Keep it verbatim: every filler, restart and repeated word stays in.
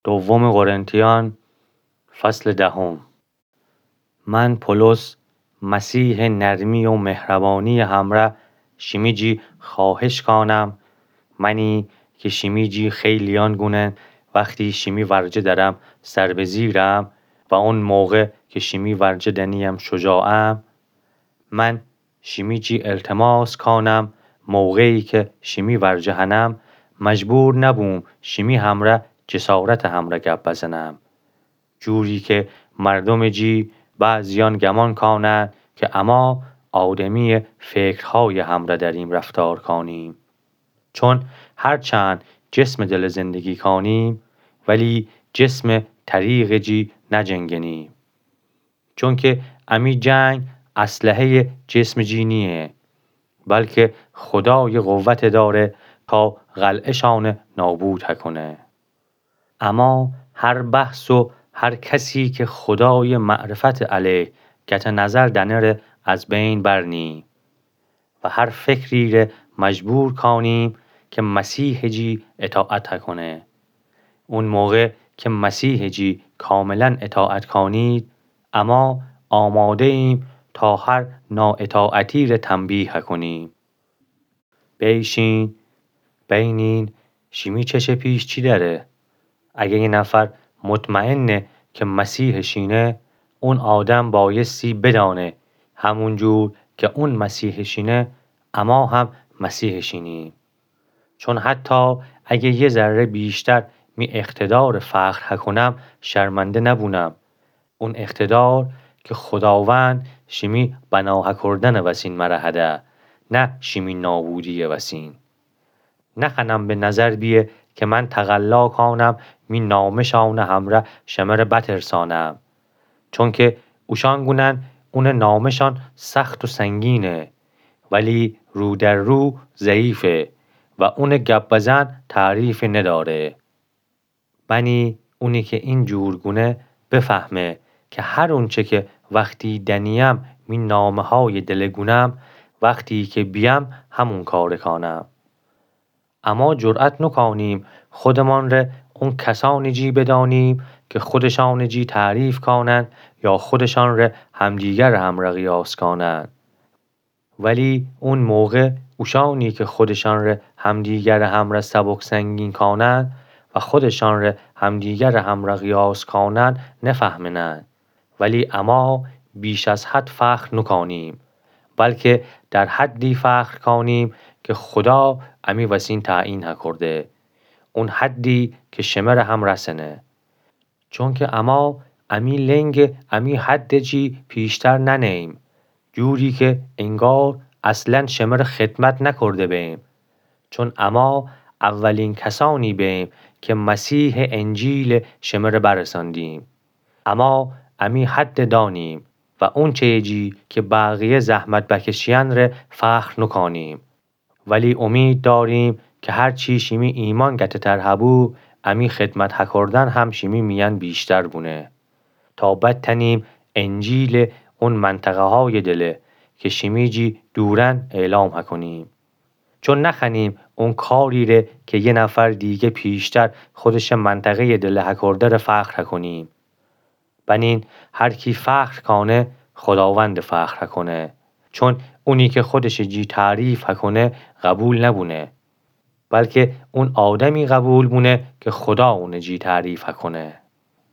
دوم قرنتیان، فصل دهم. من پولس، مسیحٚ نرمی و مهربانی‌یٚ همرأ شیمی جی خوأهش کانم، منی کی شیمی جی خیلییأن گونن وختی شیمی ورجه درم سر به زیرم و اون موقع کی شیمی ورجه دنییم شجاعم، من شیمی جی التماس کانم، موقعی کی شیمی ورجه هنم، مجبور نبوم شیمی همرأ جسارتٚ همرأ گب بزنم. جوری کی مردومٚ جی بعضییأن گمان کانن کی اما آدمییٚ فکرهایٚ همرأ دریم رفتار کانیم. چون هرچند جسمٚ دلٚ زندگی کانیم، ولی جسمٚ طریقٚ جی نجنگنیم. چونکی امی جنگ اسلحه‌یٚ جسمٚ جی نییه، بلکی خودای قوت دأره تا قلعه‌شأن نابود هکونه. اما هر بحث و هر کسی کی خودایٚ معرفتٚ علیه گته نظر دأنه ره از بین برنیم و هر فکری ره مجبور کانیم کی مسیحٚ جی اطاعت هکونه. اون موقع کی مسیحٚ جی کاملا اطاعت کانید، اما آماده‌ییم تا هر نااطاعتی ره تنبیه هکونیم. بیشین، بینین شیمی چشه پیش چی دأره. اگه یه نفر مطمئنه کی مسیحٚ شینه، اون آدم بایستی بدأنه همون جور کی اون مسیحٚ شینه، اما هم مسیحٚ شینیم. چون حتی اگه یه ذره بیشتر می اقتدارٚ فخر هکونم، شرمنده نبونم. اون اقتدار کی خوداوند شیمی بنا هکردنٚ وسین مره هده، نه شیمی نابودییٚ وسین. نخوأنم به نظر بیه کی من تقلا کانم می نامه‌شأنٚ همرأ شمره بترسانم. چونکی اوشأن گونن اونٚ نامه‌شأن سخت و سنگینه، ولی رو در رو ضعیفه و اونٚ گب بزن تعریفی ندأره. بنی اونی کی این جور گونه بفهمه کی هر اونچه کی وختی دنیم می نامه‌هایٚ دله گونم، وختی کی بیم همون کاره کانم. اما جرأت نوکانیم خودمان ره اون کسأنٚ جی بدأنیم کی خودشأنٚ جی تعریف کانن یا خودشأن ره همدیگرٚ همرأ قیاس کانن. ولی اون موقع اوشأنی کی خودشأن ره همدیگرٚ همرأ سبک سنگین کانن و خودشأن ره همدیگرٚ همرأ قیاس کانن نفهمنن. ولی اما بیش از حد فخر نوکانیم، بلکی در حدی فخر کانیم کی خودا امی وسین تعیین هکرده. اون حدی کی شمره هم رسنه. چونکی اما امی لنگٚ امی حدٚ جی پیشتر ننه‌ییم، جوری کی انگار اصلا شمره خدمت نکرده بیم. چون اما اولین کسأنی بیم کی مسیحٚ انجیل شمره برساندیم. اما امی حدٚ دانیم و اونچه‌یٚ جی کی بقیه زحمت بکشیأن ره فخر نوکانیم. ولی امید داریم کی هرچی شیمی ایمأن گته‌تر هبو، امی خدمت هکردن هم شیمی میأن بیشتر بونه، تا بتنیم انجیل اون منطقه‌هایٚ دله کی شیمی جی دورن اعلام هکنیم. چون نخوأنیم اون کاری ره کی یه نفر دیگه پیشتر خودشٚ منطقه‌یٚ دله هکرده ره فخر هکنیم. بنین هر کی فخر کانه، خوداوندٚ فخر هکنه. چون اونی کی خودشٚ جی تعریف هکنه، قبول نبونه، بلکی اون آدمی قبول بونه کی خودا اونٚ جی تعریف هکنه.